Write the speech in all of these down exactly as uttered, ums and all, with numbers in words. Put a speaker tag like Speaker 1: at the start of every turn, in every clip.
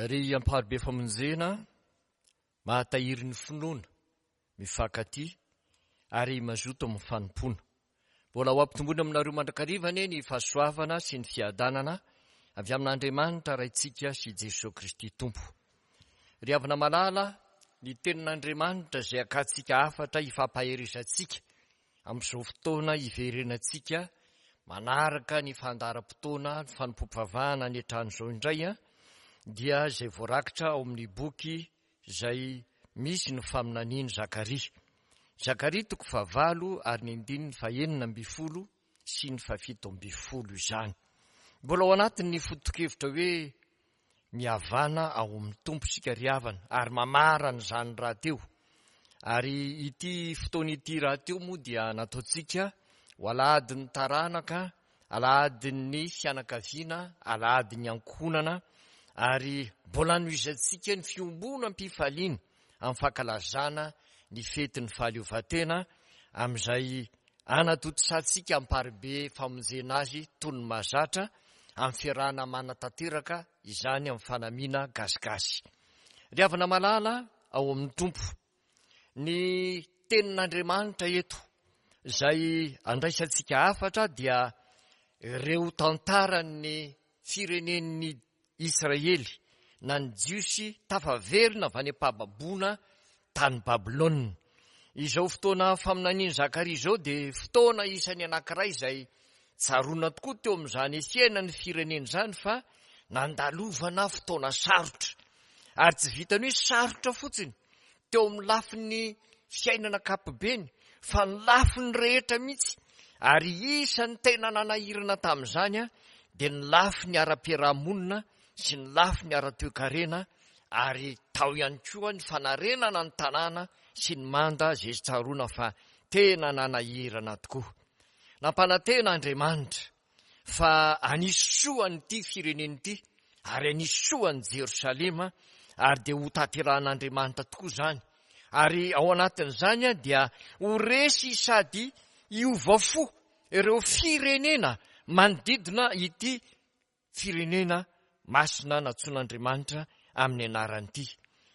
Speaker 1: Ry amparibe famonjena, mahatahiry ny finoana, mifankatia ary mazoto amin'ny fanompoana. Mbola ho ampitomboina aminareo mandrakariva anie ny fahasoavana sy ny fiadanana avy amin'Andriamanitra Raintsika sy Jesoa Kristy Tompo. Ry havana malala, ny tenin'Andriamanitra izay akantsika hafatra hifampaherezantsika amin'izao fotoana hiverenantsika manaraka ny fandaharam-potoana ny fanompoam-pivavahana any an-trano izao indray dia izay voarakitra ao amin'ny boky izay misy ny faminanian'i Zakaria. Zakaria toko fahavalo ary ny andininy fahenina ambin'ny folo sy ny fahafito ambin'ny folo izany. Mbola ao anatin'ny foto-kevitra hoe mihavana ao amin'ny Tompo isika ry havana ary mamarana izany rahateo. Ary ity fotoana ity rahateo moa dia nataontsika ho alahadin'ny taranaka, alahadin'ny fianakaviana, alahadin'ny ankohonana ary mbola hanohizantsika ny fiombonam-pifaliana amin'ny fankalazana ny fetin'ny fahaleovantena amin'izay anatontosantsika amparibe famonjena azy toy ny mahazatra amin'ny fiarahana manatanteraka izany amin'ny fanamiana gasigasy. Ry havana malala ao amin'ny Tompo, ny tenin'Andriamanitra eto izay andraisantsika hafatra dia ireo tantaran'ny firenen'ny Israely na ny Jiosy tafaverina avy any am-pahababoana tany Babylona. Izao fotoana faminanian'i Zakaria izao dia fotoana isan'ny anankiray izay tsaroana tokoa teo amin'izany fiainan'ny firenena izany fa nandalovana fotoana sarotra. Ary tsy vitan'ny hoe sarotra fotsiny teo amin'ny lafiny fiainana ankapobeny fa ny lafiny rehetra mihitsy. Ary isan'ny tena nanahirana tamin'izany dia ny lafiny ara-piarahamonina sy ny lafiny ara-toekarena ary tao ihany koa ny fanarenana ny tanàna sy ny manda izay tsaroana fa tena nanahirana tokoa. Nampanantena Andriamanitra fa hanisy soa an'ity firenena ity ary hanisy soa an'i Jerosalema ary dia hotanterahan'Andriamanitra tokoa izany. Ary ao anatin'izany dia ho resy sady hiova fo ireo firenena manodidina ity firenena masina nantsoin'Andriamanitra amin'ny anarany ity.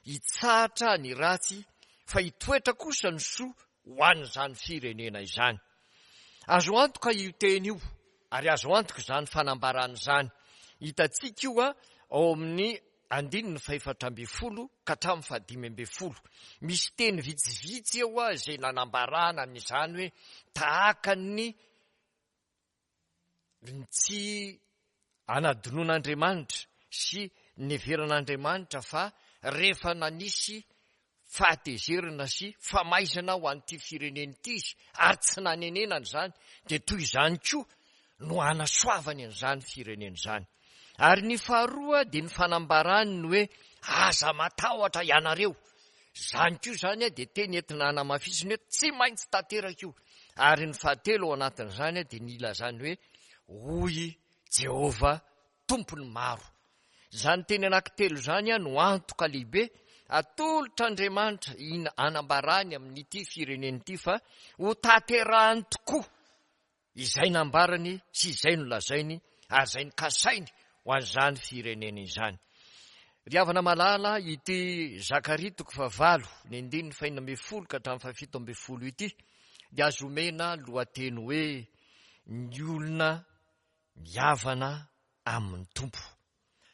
Speaker 1: Hitsahatra ny ratsy fa hitoetra kosa ny soa ho an'izany firenena izany. Azo antoka io teny io ary azo antoka izany fanambarana izany. Hitantsika io ao amin'ny andininy fahefatra ambin'ny folo ka hatramin'ny fahadimy ambin'ny folo. Misy teny vitsivitsy eo izay nanambarana an'izany hoe tahaka ny ny tsy anadinoan'Andriamanitra sy neveran'Andriamanitra fa rehefa nanisy fahatezerana sy famaizana ho an'ity firenena ity izy ary tsy nanenenana izany dia toy izany koa no hanasoavany an'izany firenena izany. Ary ny faharoa dia ny fanambarany ny hoe aza matahotra ianareo. Izany koa izany dia teny entina hanamafisiny hoe tsy maintsy tanteraka io. Ary ny fahatelo ao anatin'izany dia ny ilazany hoe hoy Jehovah Tompon'ny maro. Izany teny anankitelo izany no antoka lehibe atolotr'Andriamanitra hanambarany amin'ity firenena ity fa ho tanterahany tokoa izay nambarany sy izay nolazainy ary izay nokasainy ho an'izany firenena izany. Ry havana malala, ity Zakaria toko fahavalo, ny andininy fahenina ambin'ny folo ka hatramin'ny fahafito ambin'ny folo ity dia azo omena lohateny hoe ny olona mihavana amin'ny Tompo.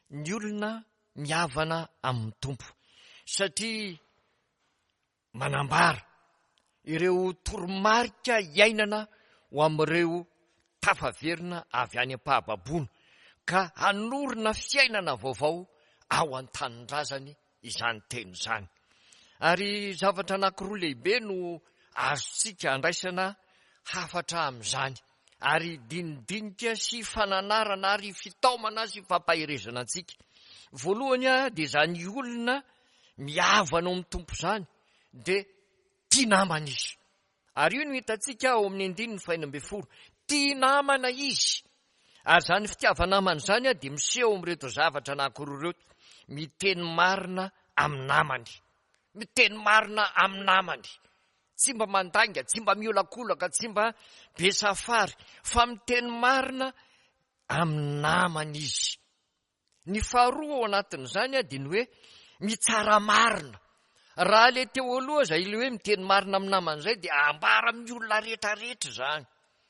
Speaker 1: Ny olona mihavana amin'ny Tompo. Satria manambara ireo toromarika iainana ho amin'ireo tafaverina avy any am-pahababoana ka hanorina fiainana vaovao ao an-tanindrazany izany teny izany. Ary zavatra anankiroa lehibe no azontsika andraisana hafatra amin'izany ary dinidinika sy fananarana ary fitaomana sy fampaherezana antsika. Voalohany dia izany olona mihavana ao amin'ny Tompo izany dia tia namana izy. Ary io no hitantsika ao amin'ny andininy fahenina ambin'ny folo. Tia namana izy. Ary izany fitiava-namana izany dia miseho amin'ireto zavatra anankiroa ireto. Miteny marina amin'ny namany. Miteny marina amin'ny namany. Tsy mba mandainga, tsy mba miolakolaka, tsy mba be safary, fa miteny marina amin'ny namany izy. Ny faharoa ao anatin'izany dia ny hoe mitsara marina. Raha le teo aloha zay le hoe miteny marina amin'ny namany izay dia ambara amin'ny olona rehetrarehetra izany.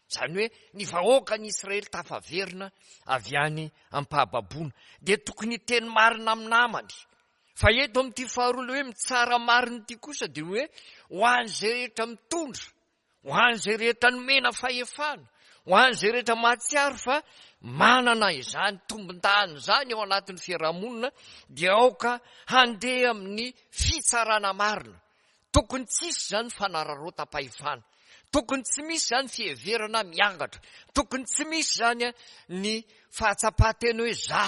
Speaker 1: Izany hoe ny vahoaka ny Israely tafaverina avy any am-pahababoana dia tokony hiteny marina amin'ny namany. Fa eto amin'ity faharoa le hoe mitsara marina ity kosa dia hoe ho an'izay rehetra mitondra, ho an'izay rehetra nomena fahefana, ho an'izay rehetra mahatsiaro fa manana izany tombon-dany izany ao anatin'ny fiarahamonina dia aoka handeha amin'ny fitsarana marina. Tokony tsy hisy izany fanararaotam-pahefana, tokony tsy misy izany fiheverana miangatra, tokony tsy misy izany ny fahatsapan-tena hoe za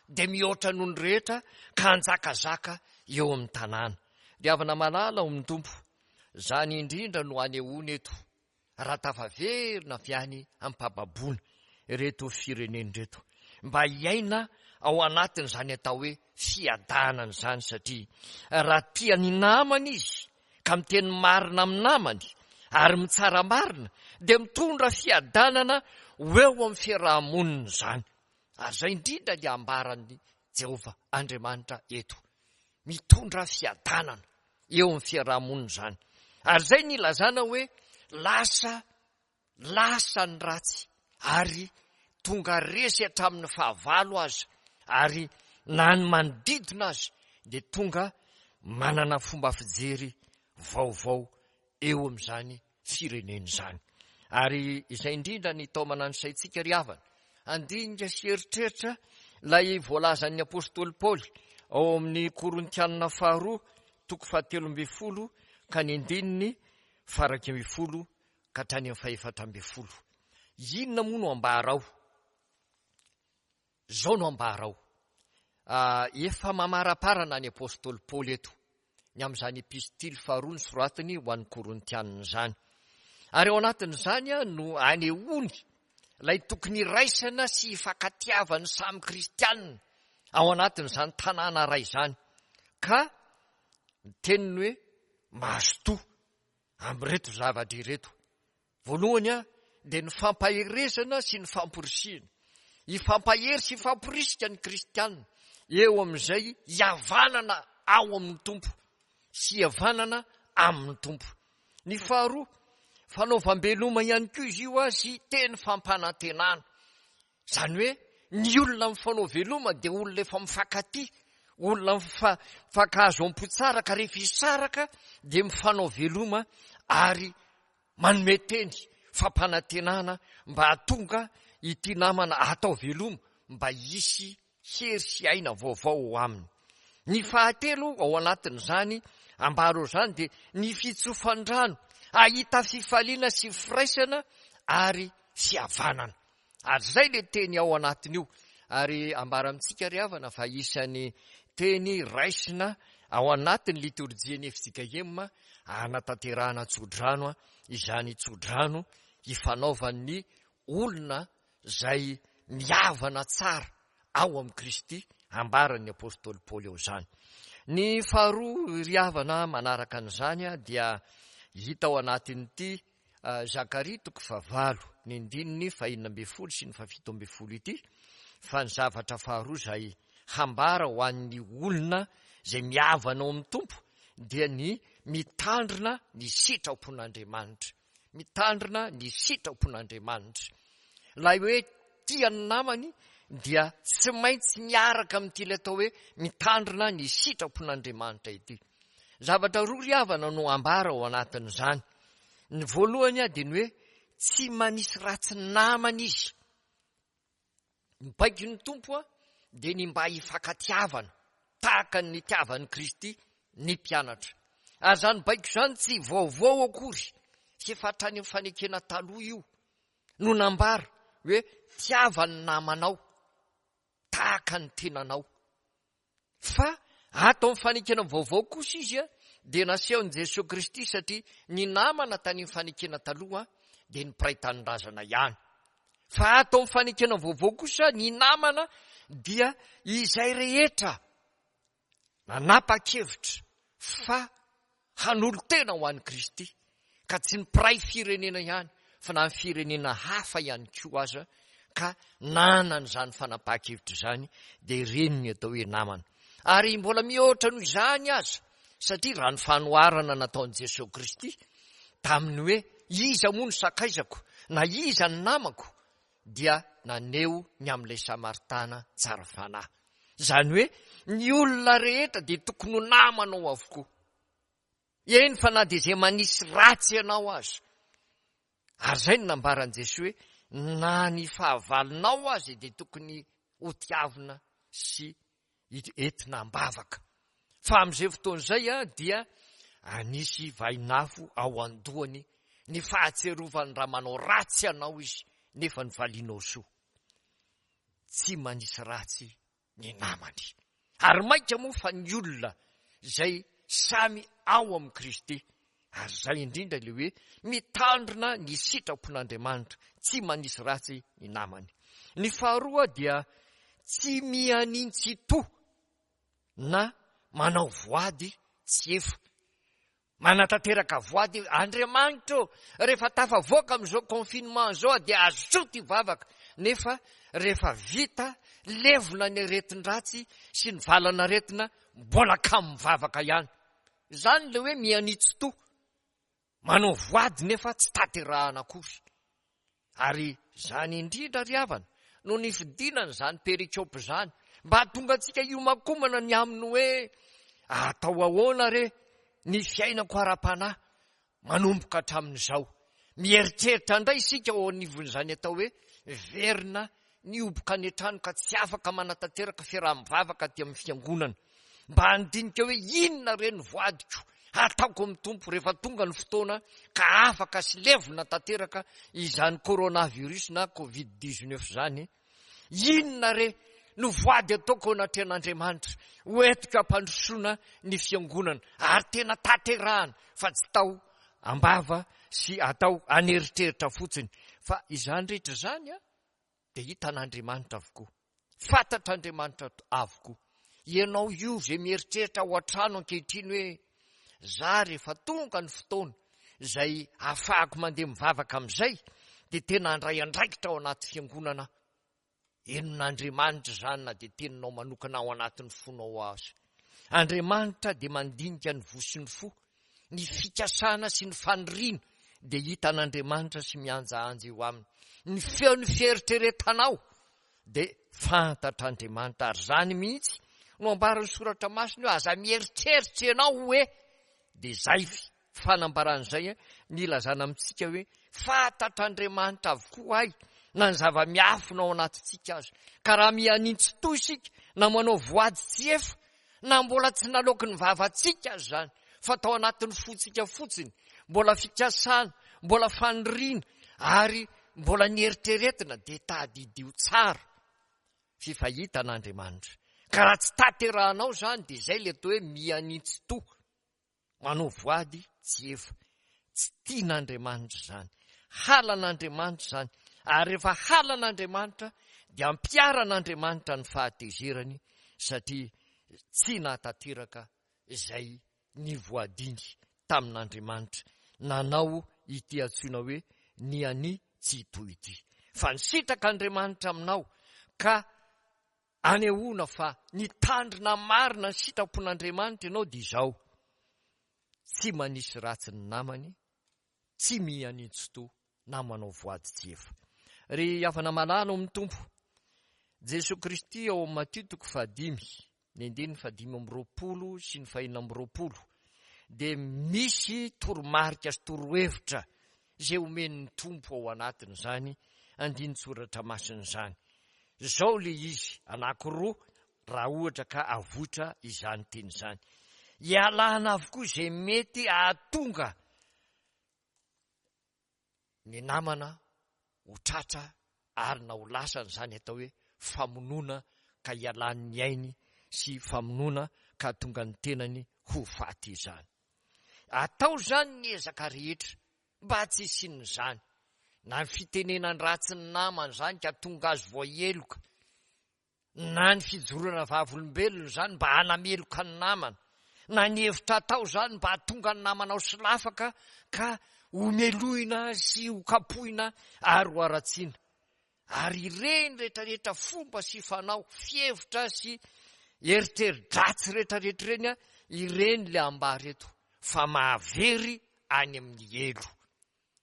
Speaker 1: dia mihoatra noho ny rehetra ka hanjakazaka eo amin'ny tanàna. Ry havana malala ao amin'ny Tompo, izany indrindra no anehoana eto raha tafaverina avy any am-pahababoana ireto firenena ireto, mba hiaina ao anatin'izany atao hoe fiadanana izany, satria raha tia ny namany izy ka miteny marina amin'ny namany ary mitsara marina dia mitondra fiadanana ho eo amin'ny fiarahamonina izany. Ary izay indrindra ny ambaran'i Jehovah Andriamanitra eto, mitondra fiadanana eo amin'ny fiarahamonina izany. Ary izay ny ilazana hoe lasa lasa ny ratsy ary tonga resy hatramin'ny fahavalo aza, ary na ny manodidina azy dia tonga manana fomba fijery vaovao eo amin'izany firenena izany. Ary izay indrindra ny taomana ny saintsika ry havana, handinika sy eritreritra ilay voalazan'ny apostoly Paoly ao amin'ny Korintianina faharoa toko fahatelo ambin'ny folo ka ny andininy faha-iraika ambin'ny folo ka hatrany amin'ny fahefatra ambin'ny folo. Inona moa no ambara ao? Izao no ambara ao. Efa mamaraparana ny apostoly Paoly eto ny amin'izany epistily faharoa ny soratiny ho an'ny Korintianina izany. Ary ao anatin'izany no anehoany ilay tokony iraisana sy ifankatiavan'ny samy kristianina ao anatin'izany tanàna iray izany. Ka ny teniny hoe mazotoa amin'ireto zavatra ireto. Voalohany dia ny fampaherezana sy ny famporisihana. Hifampahery sy hifamporisika ny kristianina eo amin'izay hihavanana ao amin'ny Tompo sy hihavanana amin'ny Tompo. Ny faharoa, fanaovam-beloma ihany koa izy io sy teny fampanantenana. Izany hoe ny olona mifanao veloma dia olona efa mifankatia, olona mifankahazo am-po tsara, ka rehefa hisaraka dia mifanao veloma ary manome teny fampanantenana mba hahatonga ity namana atao veloma mba hisy hery sy aina vaovao ao aminy. Ny fahatelo ao anatin'izany ambara izany dia ny fitsofan-drano, hahita fifaliana sy firaisana ary fihavanana. Ary izay ilay teny ao anatin'io. Ary ambara amintsika ry havana fa isan'ny teny raisina ao anatin'ny litorjian'ny F J K M hanatanterahana tsodrano, izany tsodrano hifanaovan'ny olona izay mihavana tsara ao amin'i Kristy, ambaran'ny apostoly Paoly ao izany. Ny faharoa ry havana manaraka an'izany dia hita ao anatin'ity Zakaria toko fahavalo ny andininy fahenina ambin'ny folo sy ny fahafito ambin'ny folo ity, fa ny zavatra faharoa izay hambara ho an'ny olona izay mihavana ao amin'ny Tompo dia ny mitandrina ny sitrapon'Andriamanitra. Mitandrina ny sitrapon'Andriamanitra. Ilay hoe tia ny namany dia tsy maintsy miaraka amin'ity ilay atao hoe mitandrina ny sitrapon'Andriamanitra ity. Zavatra roa ry havana no ambara ao anatin'izany. Ny voalohany dia ny hoe tsy manisy ratsy ny namany izy. Ny baikon'ny Tompo dia ny mba hifankatiavana tahaka ny nitiavan'i Kristy ny mpianatra. Ary izany baiko izany tsy vaovao akory, fa efa hatrany amin'ny fanekena taloha io no nambara hoe tiava ny namanao tahaka ny tenanao. Fa ato amin'ny fanekena vaovao kosa izy dia nasehon'i Jesoa Kristy, satria ny namana tany amin'ny fanekena taloha dia ny mpiray tanindrazana ihany. Fa ato amin'ny fanekena vaovao kosa ny namana dia izay rehetra nanapa-kevitra fa hanolo-tena ho an'i Kristy, ka tsy ny mpiray firenena ihany fa na ny firenena hafa ihany koa aza, ka nanana izany fanapahan-kevitra izany, dia ireny ny atao hoe namana. Ary mbola mihoatra noho izany aza, satria raha ny fanoharana nataon'i Jesoa Kristy tamin'ny hoe iza moa no sakaizako na iza ny namako, dia naneho ny amin'ilay Samaritana tsara fanahy. Izany hoe ny olona rehetra dia tokony ho namanao avokoa. Eny fa na dia izay manisy ratsy ianao aza. Ary izay no nambaran'i Jesoa hoe na ny fahavalonao aza dia tokony hotiavina sy entina am-bavaka. Fa amin'izay fotoana izay dia anisy vainafo ao an-dohany ny fahatsiarovany raha manao ratsy anao izy nefa ny valianao soa. Tsy manisy ratsy ny namany. Ary mainka moa fa ny olona izay samy ao amin'i Kristy. Ary izay indrindra ilay hoe mitandrina ny sitrapon'Andriamanitra, tsy manisy ratsy ny namany. Ny faharoa dia tsy mianintsito na manao voady tsy efa. Manatanteraka voady Andriamanitra ô, rehefa tafavoaka amin'izao confinement izao dia azoto hivavaka, nefa rehefa vita levona ny aretin-dratsy sy ny valan'aretina mbola kamo mivavaka ihany. Izany ilay hoe mianitsito, manao voady nefa tsy tanterahana akory. Ary izany indrindra ry havana no nifidinana izany perikopa izany mba hahatonga antsika hiomankomana ny amin'ny hoe atao ahoana re ny fiainako ara-panahy manomboka hatramin'izao. Mieritreritra indray isika ao anivon'izany atao hoe verina nihoboka any an-trano ka tsy afaka manatanteraka fiaraha-mivavaka aty amin'ny fiangonana. Mba handinika hoe inona re ny voadiko ataoko amin'ny Tompo rehefa tonga ny fotoana ka afaka sy levona tanteraka izany coronavirus na covid dix-neuf izany. Inona re no voady ataoko ao anatrehan'Andriamanitra ho entiko hampandrosoana ny fiangonana ary tena tanterahana fa tsy tao am-bava sy atao an'eritreritra fotsiny. Fa izany rehetra izany a dia hitan'Andriamanitra avokoa, fantatr'Andriamanitra avokoa. Ianao io izay mieritreritra ao an-trano ankehitriny hoe za rehefa tonga ny fotoana izay ahafahako mandeha mivavaka amin'izay dia tena handray andraikitra ao anaty fiangonana. Henon'Andriamanitra izany na dia teninao manokana ao anatin'ny fonao aza. Andriamanitra dia mandinika ny voa sy ny fo, ny fikasana sy ny faniriana dia hitan'Andriamanitra sy mihanjahanja eo aminy. Ny feon'ny fieritreretanao dia fantatr'Andriamanitra, ary izany mihitsy no ambaran'ny soratra masina hoe aza mieritreritra ianao hoe, dia izay fanambaran'izay ny ilazana amintsika hoe fantatr'Andriamanitra avokoa ay na ny zava-miafina ao anatintsika aza. Ka raha mihanintsy toy isika na manao voady tsy efa na mbola tsy naloaky ny vavantsika aza izany fa tao anatin'ny fontsika fotsiny, mbola fikasana, mbola faniriana ary mbola nieritreretina, dia tadidio tsara fifahitan'Andriamanitra. Ka raha tsy tanterahanao izany dia izay ilay atao hoe mihanintsy toa, manao voady tsy efa. Tsy tian'Andriamanitra izany, halan'Andriamanitra izany. Ary rehefa halan'Andriamanitra dia ampiharan'Andriamanitra ny fahatezerany satria tsy nahatanteraka izay nivoadiny tamin'Andriamanitra nanao ity antsoina hoe ny ani tsy toy ity. Fa ny sitrak'Andriamanitra aminao ka anehoana fa nitandrina marina ny sitrapon'Andriamanitra ianao dia izao: tsy manisy ratsy ny namany, tsy mihanintsito na manao voady tsy efa. Ry havana malala ao amin'ny Tompo, Jesoa Kristy ao amin'ny Matio toko fahadimy, ny andininy fahadimy amby roapolo sy ny fahenina amby roapolo, dia misy toromarika sy torohevitra izay omen'ny Tompo ao anatin'izany andinin-tsoratra masina izany. Izao ilay izy, anankiroa raha ohatra ka avoitra izany teny izany. Ialana avokoa izay mety hahatonga ny namana ho tratra ary na ho lasany izany atao hoe famonoana ka ialan'ny ainy sy famonoana ka hahatonga ny tenany ho faty izany. Atao izany ny ezaka rehetra mba tsy hisian'izany, na ny fitenenany ratsy ny namana izany ka tonga azy voaheloka, na ny fijoroana vavolombelona izany mba hanameloka ny namana, na ny hevitra atao izany mba hahatonga ny namana ho solafaka ka homelohina sy ho kapohina ary ho haratsiana. Ary ireny rehetrarehetra fomba sy fanao, fihevitra sy eritreri-dratsy rehetrarehetra ireny, ireny le ambara eto fa mahavery any amin'ny helo.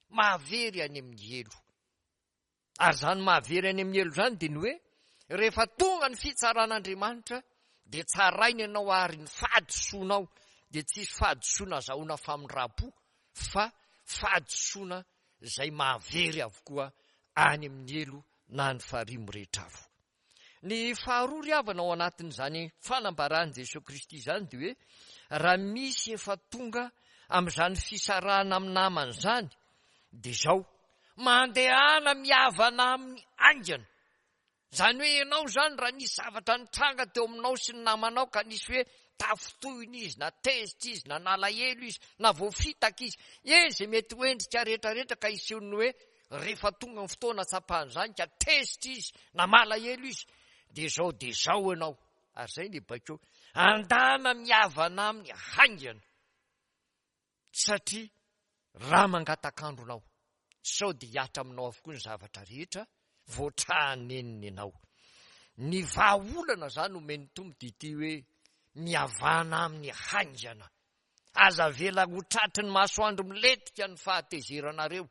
Speaker 1: Mahavery any amin'ny helo. Ary izany mahavery any amin'ny helo izany dia ny hoe rehefa tonga ny fitsaran'Andriamanitra dia tsarainy ianao ary ny fahadisoanao dia tsisy fahadisoana azahoana famindram-po fa fahadisoana izay mahavery avokoa any amin'ny helo na ny farihy mirehitra afo. Ny faharoa ry havana ao anatin'izany fanambaran'i Jesoa Kristy izany dia hoe raha misy efa tonga amin'izany fisarahana amin'ny namana izany dia izao, mandehana mihavana aminy haingana. Izany hoe ianao izany raha nisy zavatra nitranga teo aminao sy ny namanao ka nisy hoe tafintohina izy na tezitra izy na nalahelo izy na voafitaka izy, eny izay mety ho endrika rehetrarehetra ka hiseho ny hoe rehefa tonga ny fotoana tsapan'izany ka tezitra izy na malahelo izy dia izao dia izao ianao. Ary izay ny baiko, andana mihavana aminy haingana satria raha mangatak'andronao sao dia hihatra aminao avokoa ny zavatra rehetra voatrahanenina ianao. Ny vahaolana izany omen'ny Tompo dia ity hoe mihavana aminy haingana. Aza avela ho tratry ny masoandro milentika ny fahatezeranareo,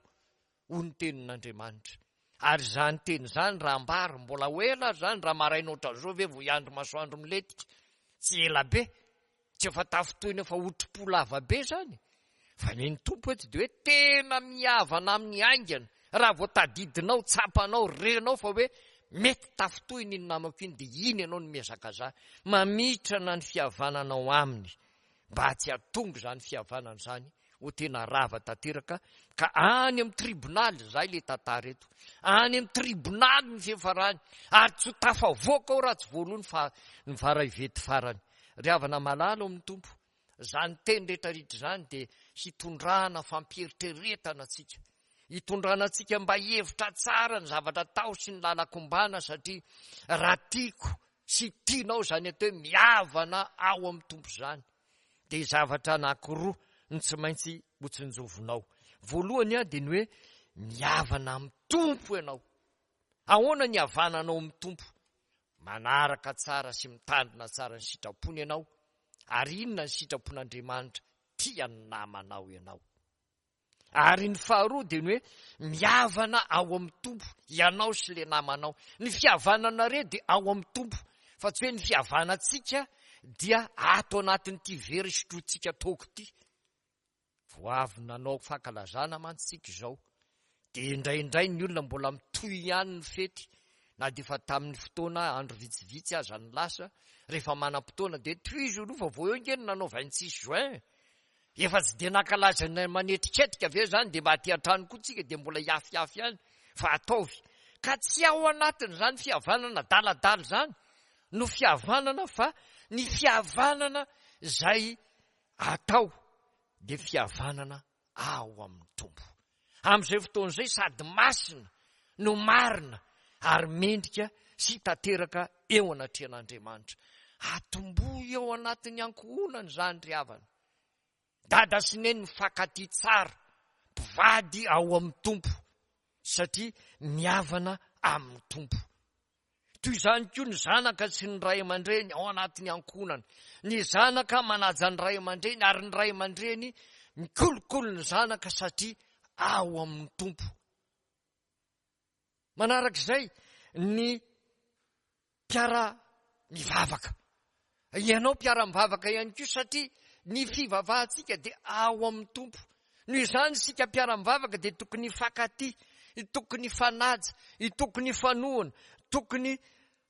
Speaker 1: hoy ny tenin'Andriamanitra. Ary izany teny izany raha ambara, mbola ho ela ary izany, raha maraina ohatran'izao ve vao hiandry masoandro milentika? Tsy ela be, tsy efa tafintohina efa otri-po lava be izany. Fa ny ny Tompo eto dia hoe tena mihavana amin'ny haingana. Raha vao tadidinao, tsapanao, renao fa hoe mety tafintohina iny namako iny, dia iny ianao no mihazakazaha. Mamitrana ny fihavananao aminy mba tsy hahatonga izany fihavanana izany ho tena rava tanteraka ka any amin'ny tribonaly, izay ilay tantara eto, any amin'ny tribonaly ny fiafarany ary tsy ho tafavoaka ao raha tsy voaloha ny fa-, ny varaivety farany. Ry havana malala ao amin'ny Tompo, izany teny rehetrarehetra izany dia hitondrana fampieritreretana antsika, hitondrana antsika mba hihevitra tsara ny zavatra atao sy ny lalan-kombana, satria raha tiako sy tianao izany atao hoe mihavana ao amin'ny Tompo izany dia zavatra anankiroa no tsy maintsy hotsinjovinao. Voalohany dia ny hoe mihavana amin'ny Tompo ianao. Ahoana ny havananao amin'ny Tompo? Manaraka tsara sy mitandrina tsara ny sitrapony ianao. Ary inona ny sitrapon'Andriamanitra? Tia ny namanao ianao. Ary ny faharoa dia ny hoe mihavana ao amin'ny Tompo ianao sy ilay namanao. Ny fihavananareo dia ao amin'ny Tompo, fa tsy hoe ny fihavanantsika dia ato anatin'ity very sotrointsika toaka ity. Vao avy nanao fankalazana mantsy isika izao, dia indraindray ny olona mbola mitohy ihany ny fety, na dia efa tamin'ny fotoana andro vitsivitsy aza ny lasa, rehefa manam-potoana dia tohizo aloha fa vao eo ange no nanao vingt-six juin. Efa tsy dia nankalaza ny manetriketrika ve izany, dia mba aty an-trano koa tsika dia mbola hiafiafy ihany, fa ataovy. Ka tsy ao anatin'izany fihavanana daladala izany no fihavanana, fa ny fihavanana izay atao dia fihavanana ao amin'ny Tompo. Amin'izay fotoana izay sady masina no marina ary mendrika sy tanteraka eo anatrehan'Andriamanitra. Atombohy eo anatin'ny ankohonana izany ry havana. Dada sy neny mifankatia tsara, mpivady ao amin'ny Tompo, satria mihavana amin'ny Tompo. Toy izany koa ny zanaka sy ny ray aman-dreny ao anatin'ny ankohonana. Ny zanaka manaja ny ray aman-dreny ary ny ray aman-dreny mikolokolo ny zanaka satria ao amin'ny Tompo. Manarak'izay ny mpiara-mivavaka. Ianao mpiara-mivavaka ihany koa satria ny fivavahantsika dia ao amin'ny Tompo. Noho izany isika mpiara-mivavaka dia tokony hifankatia, tokony hifanaja, tokony hifanohana, tokony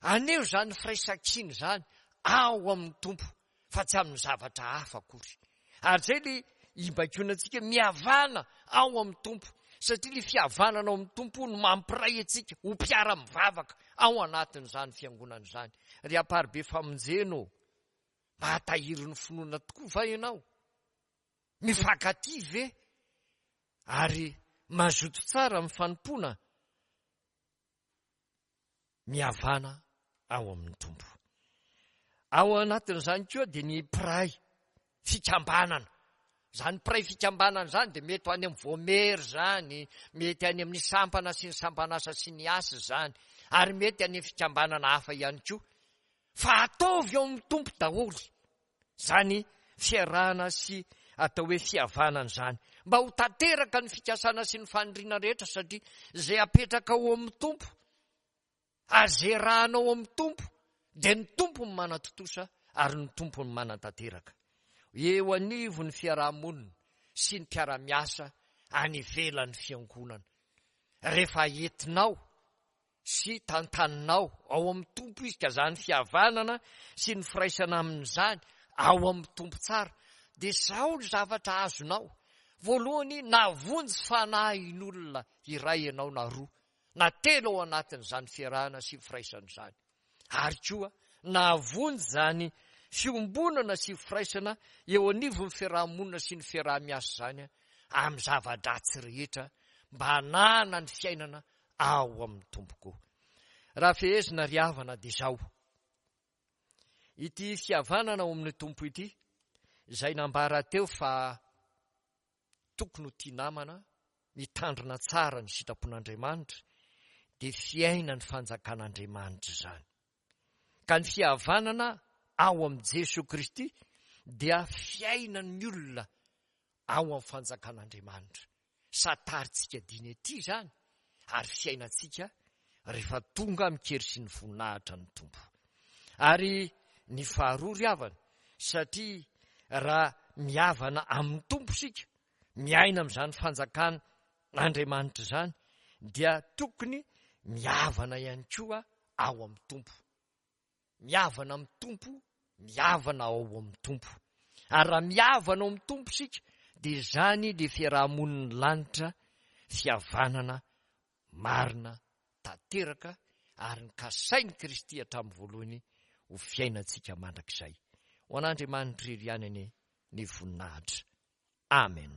Speaker 1: haneho izany firaisankina izany ao amin'ny Tompo fa tsy amin'ny zavatra hafa akory. Ary izay ilay ibaikoana antsika mihavana ao amin'ny Tompo, satria ilay fihavanana ao amin'ny Tompo no mampiray antsika ho mpiara-mivavaka ao anatin'izany fiangonana izany. Ry Amparibe Famonjena ô, mahatahiry ny finoana tokoa va ianao? Mifankatia ve? Ary mazoto tsara amin'ny fanompoana? Mihavana ao amin'ny Tompo. Ao anatin'izany koa dia ny mpiray fikambanana. Izany mpiray fikambanana izany dia mety ho any amin'ny voamery izany, mety any amin'ny sampana sy ny sampan'asa sy ny asa izany, ary mety any amin'ny fikambanana hafa ihany koa. Fa ataovy ao amin'ny Tompo daholo izany fiarahana sy atao hoe fihavanana izany, mba ho tanteraka ny fikasana sy ny faniriana rehetra, satria izay apetraka ao amin'ny Tompo ary izay iarahanao ao amin'ny Tompo dia ny Tompo no manatontosa ary ny Tompo no manatanteraka. Eo anivon'ny fiaraha-monina sy ny mpiara-miasa any ivelan'ny fiangonana, rehefa entinao sy tantaninao ao amin'ny Tompo izy, ka izany fihavanana sy ny firaisana amin'izany ao amin'ny Tompo tsara, dia izao ny zavatra azonao. Voalohany, nahavonjy fanahin'olona iray ianao na roa na telo ao anatin'izany fiarahana sy firaisana izany. Ary koa nahavonjy izany fiombonana sy firaisana eo anivon'ny fiaraha-monina sy ny fiaraha-miasa izany amin'ny zava-dratsy rehetra mba hanana ny fiainana ao amin'ny Tompo koa. Raha fehezina ry havana dia izao, ity fihavanana ao amin'ny Tompo ity izay nambara teo fa tokony ho tia namana, mitandrina tsara ny sitrapon'Andriamanitra, dia fiainan'ny fanjakan'Andriamanitra izany. Ka ny fihavanana ao amin'i Jesoa Kristy dia fiainan'ny olona ao amin'ny fanjakan'Andriamanitra. Santarintsika diny ety izany ary fiainantsika rehefa tonga amin-kery sy ny voninahitra ny Tompo. Ary ny faharoa ry havana, satria raha mihavana amin'ny Tompo isika, miaina amin'izany fanjakan'Andriamanitra izany, dia tokony mihavana ihany koa ao amin'ny Tompo. Mihavana amin'ny Tompo, mihavana ao amin'ny Tompo. Ary raha mihavana ao amin'ny Tompo isika, dia izany ilay fiaraha-monin'ny lanitra, fihavanana marina tanteraka ary ny kasain'i Kristy hatramin'ny voalohany ho fiainantsika mandrakizay. Ho an'Andriamanitra irery ihany anie ny voninahitra. Amen.